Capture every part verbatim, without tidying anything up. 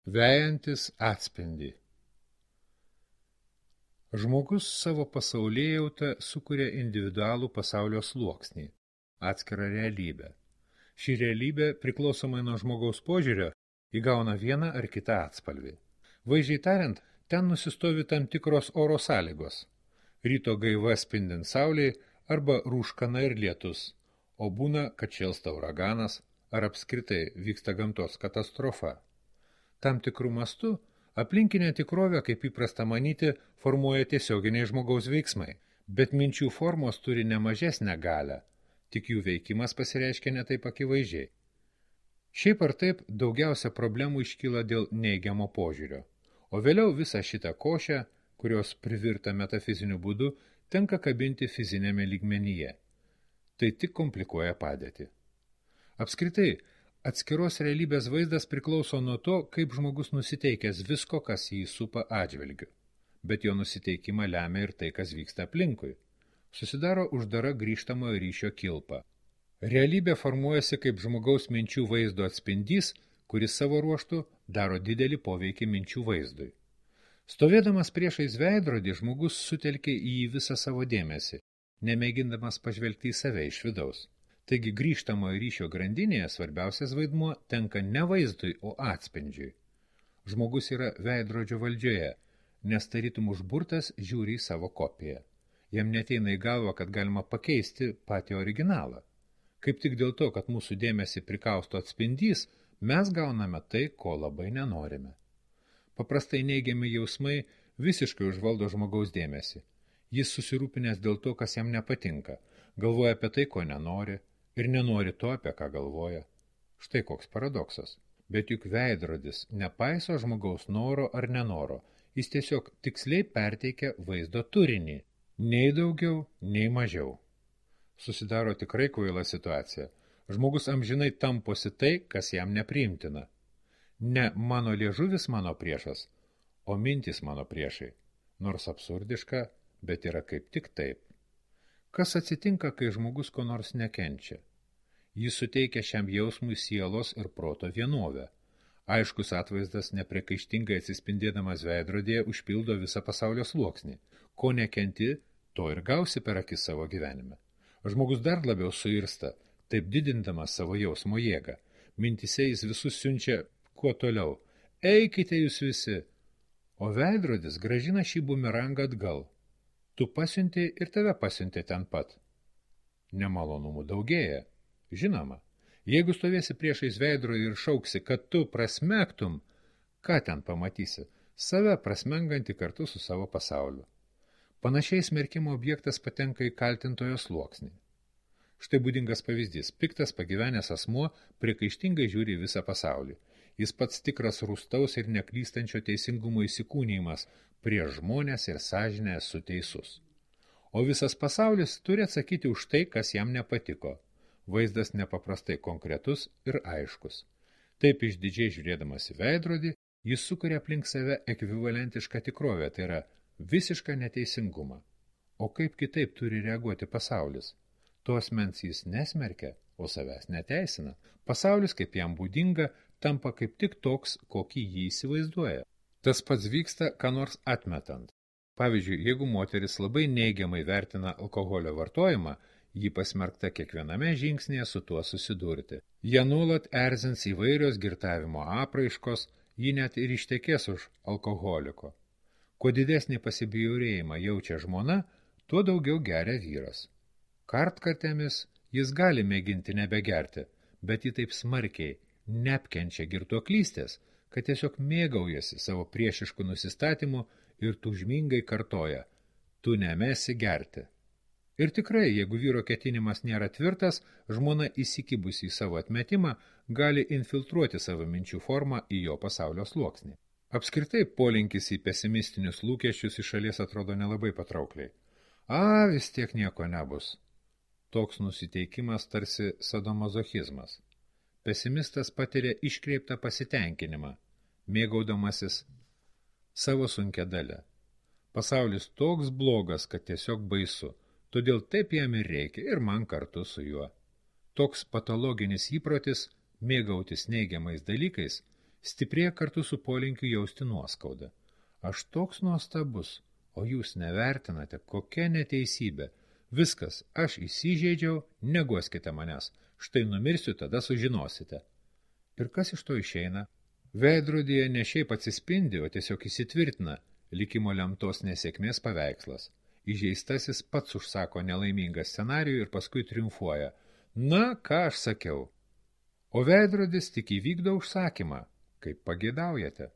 Vejantis atspindį. Žmogus savo pasaulėjautą sukuria individualų pasaulio sluoksnį, atskirą realybę. Ši realybė, priklausomai nuo žmogaus požiūrio, įgauna vieną ar kitą atspalvį. Vaizdžiai tariant, ten nusistovi tam tikros oro sąlygos. Ryto gaiva spindint saulei arba rūškana ir lietus, o būna, kad šėlsta uraganas ar apskritai vyksta gamtos katastrofa. Tam tikrų mastų aplinkinė tikrovė, kaip įprasta manyti, formuoja tiesioginiai žmogaus veiksmai, bet minčių formos turi ne mažesnę galią, tik jų veikimas pasireiškia ne taip akivaizdžiai. Šiaip ar taip daugiausia problemų iškyla dėl neigiamo požiūrio, o vėliau visą šitą košę, kurios privirta metafiziniu būdu, tenka kabinti fizinėme lygmenyje. Tai tik komplikuoja padėtį. Apskritai, atskiros realybės vaizdas priklauso nuo to, kaip žmogus nusiteikęs visko, kas jį supa atžvilgiu. Bet jo nusiteikimą lemia ir tai, kas vyksta aplinkui. Susidaro uždara grįžtamojo ryšio kilpa. Realybė formuojasi kaip žmogaus minčių vaizdo atspindys, kuris savo ruožtu daro didelį poveikį minčių vaizdui. Stovėdamas priešais veidrodį, žmogus sutelkia į jį visą savo dėmesį, nemėgindamas pažvelgti į save iš vidaus. Taigi grįžtamojo ryšio grandinėje svarbiausias vaidmuo tenka ne vaizdui, o atspindžiui. Žmogus yra veidrodžio valdžioje, nes tarytum užburtas žiūri į savo kopiją. Jam neteina į galvą, kad galima pakeisti patį originalą. Kaip tik dėl to, kad mūsų dėmesį prikausto atspindys, mes gauname tai, ko labai nenorime. Paprastai neigiami jausmai visiškai užvaldo žmogaus dėmesį. Jis susirūpinęs dėl to, kas jam nepatinka, galvoja apie tai, ko nenori, ir nenori to, apie ką galvoja. Štai koks paradoksas. Bet juk veidrodis nepaiso žmogaus noro ar nenoro. Jis tiesiog tiksliai perteikia vaizdo turinį. Nei daugiau, nei mažiau. Susidaro tikrai kvaila situacija. Žmogus amžinai tamposi tai, kas jam nepriimtina. Ne mano liežuvis mano priešas, o mintys mano priešai. Nors absurdiška, bet yra kaip tik taip. Kas atsitinka, kai žmogus ko nors nekenčia? Jis suteikia šiam jausmui sielos ir proto vienovę. Aiškus atvaizdas nepriekaištingai atsispindėdamas veidrodėje užpildo visą pasaulio sluoksnį. Ko nekenti, to ir gausi per akis savo gyvenime. Žmogus dar labiau suirsta, taip didindamas savo jausmo jėgą. Mintise jis visus siunčia kuo toliau. Eikite jūs visi! O veidrodis grąžina šį bumerangą atgal. Tu pasiunti ir tave pasiunti ten pat. Nemalonumų daugėja. Žinoma, jeigu stovėsi priešais veidrodį ir šauksi, kad tu prasmegtum, ką ten pamatysi? Save prasmengantį kartu su savo pasauliu. Panašiai smerkimo objektas patenka į kaltintojo sluoksnį. Štai būdingas pavyzdys. Piktas pagyvenęs asmuo priekaištingai žiūri visą pasaulį. Jis pats tikras rūstaus ir neklystančio teisingumo įsikūnijimas, prieš žmonės ir sąžinę esu teisus. O visas pasaulis turi atsakyti už tai, kas jam nepatiko. Vaizdas nepaprastai konkretus ir aiškus. Taip išdidžiai žiūrėdamas į veidrodį, jis sukuria aplink save ekvivalentišką tikrovę, tai yra visišką neteisingumą. O kaip kitaip turi reaguoti pasaulis? To asmens jis nesmerkia, o savęs neteisina. Pasaulis, kaip jam būdinga, tampa kaip tik toks, kokį jį įsivaizduoja. Tas pats vyksta, ką nors atmetant. Pavyzdžiui, jeigu moteris labai neigiamai vertina alkoholio vartojimą, ji pasmerkta kiekviename žingsnėje su tuo susidurti. Jie nuolat erzins įvairios girtavimo apraiškos, ji net ir ištekės už alkoholiko. Kuo didesnį pasibjaurėjimą jaučia žmona, tuo daugiau geria vyras. Kartkartėmis jis gali mėginti nebegerti, bet ji taip smarkiai neapkenčia girtuoklystės, kad tiesiog mėgaujasi savo priešiškų nusistatymų ir tūžmingai kartoja, tu nemesi gerti. Ir tikrai, jeigu vyro ketinimas nėra tvirtas, žmona įsikibusi į savo atmetimą gali infiltruoti savo minčių formą į jo pasaulio sluoksnį. Apskritai, polinkis į pesimistinius lūkesčius iš šalies atrodo nelabai patraukliai. A, vis tiek nieko nebus. Toks nusiteikimas tarsi sadomazochizmas. Pesimistas patiria iškreiptą pasitenkinimą, mėgaudamasis savo sunkia dalia. Pasaulis toks blogas, kad tiesiog baisu. Todėl taip jam ir reikia, ir man kartu su juo. Toks patologinis įprotis mėgautis neigiamais dalykais stiprėja kartu su polinkiu jausti nuoskaudą. Aš toks nuostabus, o jūs nevertinate, kokia neteisybė. Viskas, aš įsižeidžiau, neguoskite manęs, štai numirsiu, tada sužinosite. Ir kas iš to išeina? Veidrodyje ne šiaip atsispindi, o tiesiog įsitvirtina likimo lemtos nesėkmės paveikslas. Įžeistasis pats užsako nelaimingą scenarijų ir paskui triumfuoja. Na, ką aš sakiau? O veidrodis tik įvykdo užsakymą, kaip pageidaujate.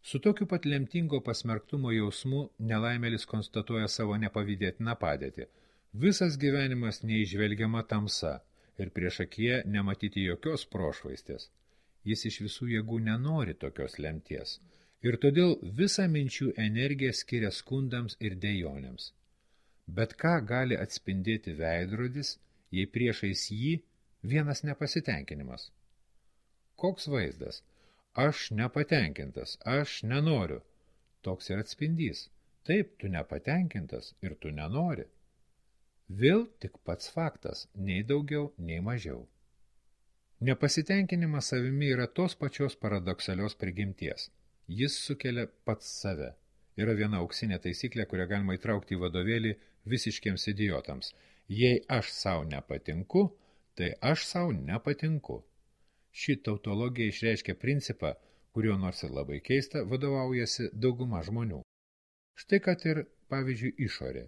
Su tokiu pat lemtingo pasmerktumo jausmu nelaimėlis konstatuoja savo nepavydėtiną padėtį. Visas gyvenimas neižvelgiama tamsa ir prieš akiją nematyti jokios prošvaistės. Jis iš visų jėgų nenori tokios lemties ir todėl visą minčių energiją skiria skundams ir dejonėms. Bet ką gali atspindėti veidrodis, jei priešais jį vienas nepasitenkinimas? Koks vaizdas? Aš nepatenkintas, aš nenoriu. Toks ir atspindys. Taip, tu nepatenkintas ir tu nenori. Vėl tik pats faktas, nei daugiau, nei mažiau. Nepasitenkinimas savimi yra tos pačios paradoksalios prigimties. Jis sukelia pats save. Yra viena auksinė taisyklė, kurią galima įtraukti į vadovėlį visiškiems idiotams. Jei aš sau nepatinku, tai aš sau nepatinku. Ši tautologija išreiškia principą, kurio nors ir labai keista, vadovaujasi dauguma žmonių. Štai kad ir, pavyzdžiui, išorė.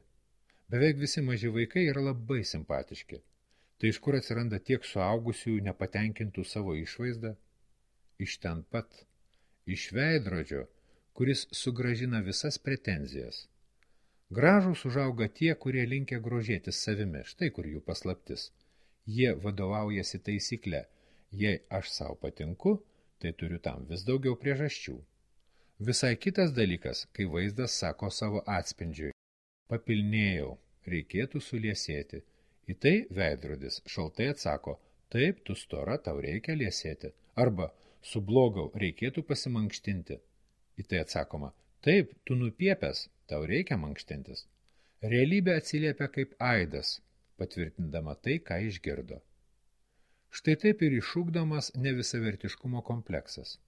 Beveik visi maži vaikai yra labai simpatiški. Tai iš kur atsiranda tiek suaugusių nepatenkintų savo išvaizdą? Iš ten pat, iš veidrodžio, kuris sugrąžina visas pretenzijas. Gražūs užauga tie, kurie linkę grožėtis savimi, štai kur jų paslaptis. Jie vadovaujasi taisykle. Jei aš sau patinku, tai turiu tam vis daugiau priežasčių. Visai kitas dalykas, kai vaizdas sako savo atspindžiui. Papilnėjau, reikėtų suliesėti. Į tai veidrodis šaltai atsako, taip, tu stora, tau reikia liesėti. Arba, sublogau, reikėtų pasimankštinti. Į tai atsakoma, taip, tu nupiepęs, tau reikia mankštintis. Realybė atsiliepia kaip aidas, patvirtindama tai, ką išgirdo. Štai taip ir išugdomas nevisavertiškumo kompleksas.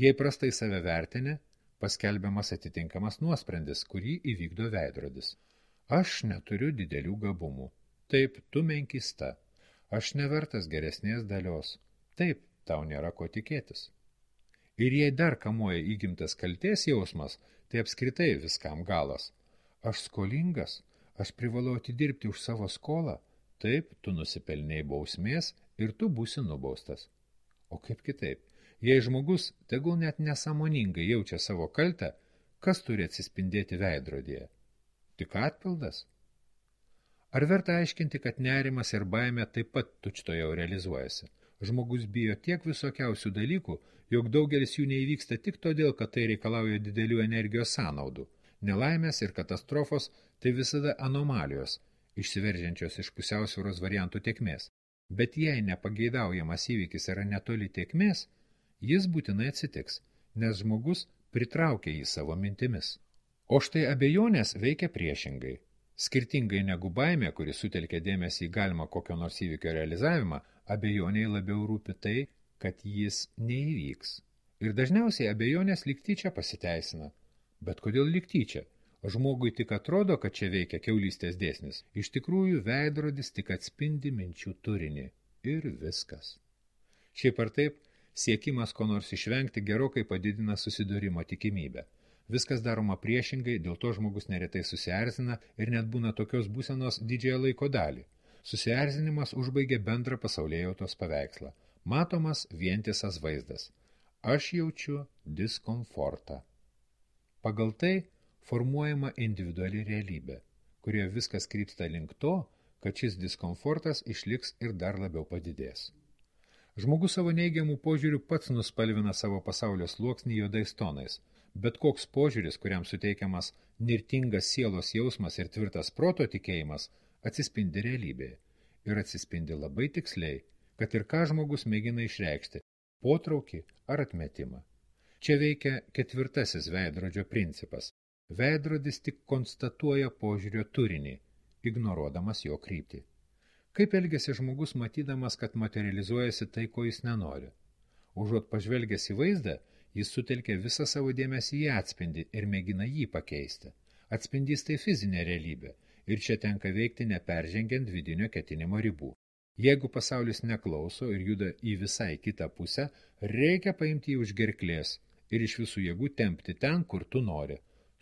Jei prastai save vertinė, paskelbiamas atitinkamas nuosprendis, kurį įvykdo veidrodis. Aš neturiu didelių gabumų. Taip, tu menkista. Aš nevertas geresnės dalios. Taip, tau nėra ko tikėtis. Ir jei dar kamuoja įgimtas kaltės jausmas, tai apskritai viskam galas. Aš skolingas, aš privalau atidirbti už savo skolą. Taip, tu nusipelnei bausmės ir tu būsi nubaustas. O kaip kitaip? Jei žmogus, tegul net nesąmoningai jaučia savo kaltę, kas turi atsispindėti veidrodyje? Tik atpildas? Ar verta aiškinti, kad nerimas ir baimė taip pat tučtuojau realizuojasi? Žmogus bijo tiek visokiausių dalykų, jog daugelis jų neįvyksta tik todėl, kad tai reikalauja didelių energijos sąnaudų. Nelaimės ir katastrofos tai visada anomalijos, išsiveržiančios iš pusiausvyros variantų tėkmės. Bet jei nepageidaujamas įvykis yra netoli tėkmės, jis būtinai atsitiks, nes žmogus pritraukia jį savo mintimis. O štai abejonės veikia priešingai. Skirtingai negu baimė, kuri sutelkia dėmesį į galimą kokio nors įvykio realizavimą, abejoniai labiau rūpi tai, kad jis neįvyks. Ir dažniausiai abejonės lyg tyčia pasiteisina. Bet kodėl lyg tyčia? Žmogui tik atrodo, kad čia veikia kiaulystės dėsnis. Iš tikrųjų, veidrodis tik atspindi minčių turinį. Ir viskas. Šiaip ar taip, siekimas ko nors išvengti gerokai padidina susidūrimo tikimybę. Viskas daroma priešingai, dėl to žmogus neretai susierzina ir net būna tokios būsenos didžiąją laiko dalį. Susierzinimas užbaigia bendrą pasaulėjautos paveikslą. Matomas vientisas vaizdas. Aš jaučiu diskomfortą. Pagal tai formuojama individuali realybė, kurioje viskas krypsta link to, kad šis diskomfortas išliks ir dar labiau padidės. Žmogus savo neigiamų požiūrių pats nuspalvina savo pasaulio sluoksnį juodais tonais, bet koks požiūris, kuriam suteikiamas nirtingas sielos jausmas ir tvirtas proto tikėjimas, atsispindi realybėje ir atsispindi labai tiksliai, kad ir ką žmogus mėgina išreikšti – potraukį ar atmetimą. Čia veikia ketvirtasis veidrodžio principas. Veidrodis tik konstatuoja požiūrio turinį, ignoruodamas jo kryptį. Kaip elgiasi žmogus matydamas, kad materializuojasi tai, ko jis nenori? Užuot pažvelgęs į vaizdą, jis sutelkia visą savo dėmesį į atspindį ir mėgina jį pakeisti. Atspindys tai fizinė realybė ir čia tenka veikti neperžengiant vidinio ketinimo ribų. Jeigu pasaulis neklauso ir juda į visai kitą pusę, reikia paimti jį už gerklės ir iš visų jėgų tempti ten, kur tu nori.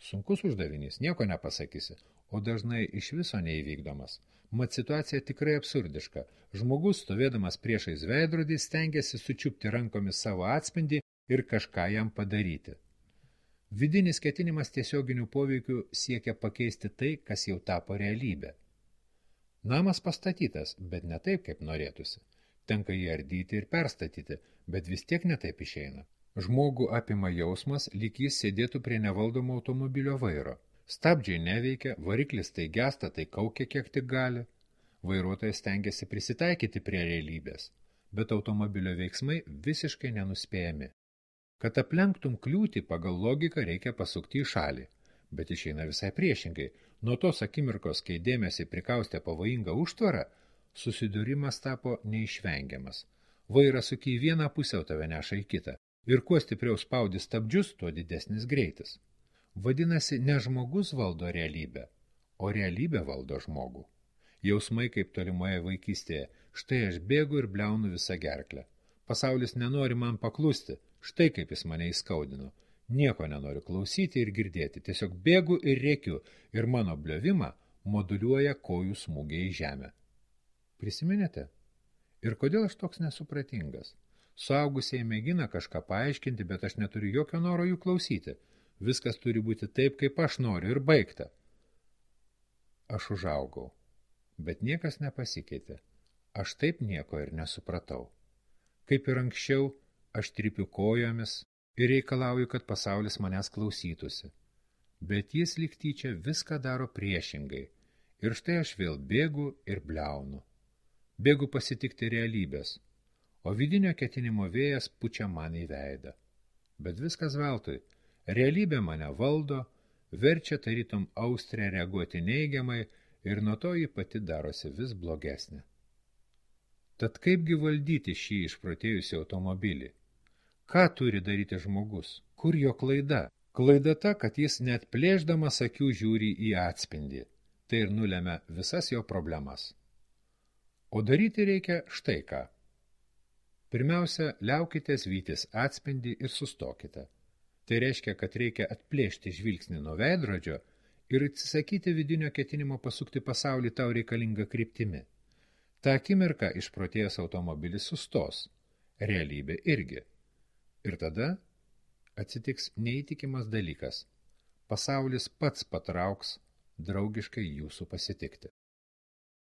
Sunkus uždavinys, nieko nepasakysi, o dažnai iš viso neįvykdomas. Mat situacija tikrai absurdiška. Žmogus, stovėdamas priešais veidrodį, stengiasi sučiupti rankomis savo atspindį ir kažką jam padaryti. Vidinis ketinimas tiesioginių poveikių siekia pakeisti tai, kas jau tapo realybė. Namas pastatytas, bet ne taip, kaip norėtųsi. Tenka jį ardyti ir perstatyti, bet vis tiek ne taip išeina. Žmogų apima jausmas, lyg jis sėdėtų prie nevaldomo automobilio vairo. Stabdžiai neveikia, variklis tai gesta, tai kaukia kiek tik gali. Vairuotojas stengiasi prisitaikyti prie realybės, bet automobilio veiksmai visiškai nenuspėjami. Kad aplenktum kliūtį, pagal logiką reikia pasukti į šalį, bet išeina visai priešingai. Nuo tos akimirkos, kai dėmesį prikaustė pavojinga užtvara, susidūrimas tapo neišvengiamas. Vairas suki į vieną pusę, o tave neša į kitą. Ir kuo stipriau spaudi stabdžius, tuo didesnis greitis. Vadinasi, ne žmogus valdo realybę, o realybė valdo žmogų. Jausmai kaip tolimoje vaikystėje. Štai aš bėgu ir bliaunu visą gerklę. Pasaulis nenori man paklusti. Štai kaip jis mane įskaudino. Nieko nenoriu klausyti ir girdėti. Tiesiog bėgu ir rėkiu. Ir mano bliovimą moduliuoja kojų smūgiai į žemę. Prisiminėte? Ir kodėl aš toks nesupratingas? Suaugusieji mėgina kažką paaiškinti, bet aš neturiu jokio noro jų klausyti. Viskas turi būti taip, kaip aš noriu ir baigta. Aš užaugau, bet niekas nepasikeitė. Aš taip nieko ir nesupratau. Kaip ir anksčiau, aš trypiu kojomis ir reikalauju, kad pasaulis manęs klausytųsi. Bet jis lyg tyčia viską daro priešingai. Ir štai aš vėl bėgu ir bliaunu. Bėgu pasitikti realybės, o vidinio ketinimo vėjas pučia man į veidą. Bet viskas veltui. Realybė mane valdo, verčia tarytum austrę reaguoti neigiamai ir nuo to ji pati darosi vis blogesnė. Tad kaipgi valdyti šį išprotėjusį automobilį? Ką turi daryti žmogus? Kur jo klaida? Klaida ta, kad jis net plėšdamas akių žiūri į atspindį. Tai ir nulemia visas jo problemas. O daryti reikia štai ką. Pirmiausia, liaukitės vytis atspindį ir sustokite. Tai reiškia, kad reikia atplėšti žvilgsnį nuo veidrodžio ir atsisakyti vidinio ketinimo pasukti pasaulį tau reikalingą kryptimi. Ta akimirka išprotėjęs automobilis sustos, realybė irgi. Ir tada atsitiks neįtikimas dalykas. Pasaulis pats patrauks draugiškai jūsų pasitikti.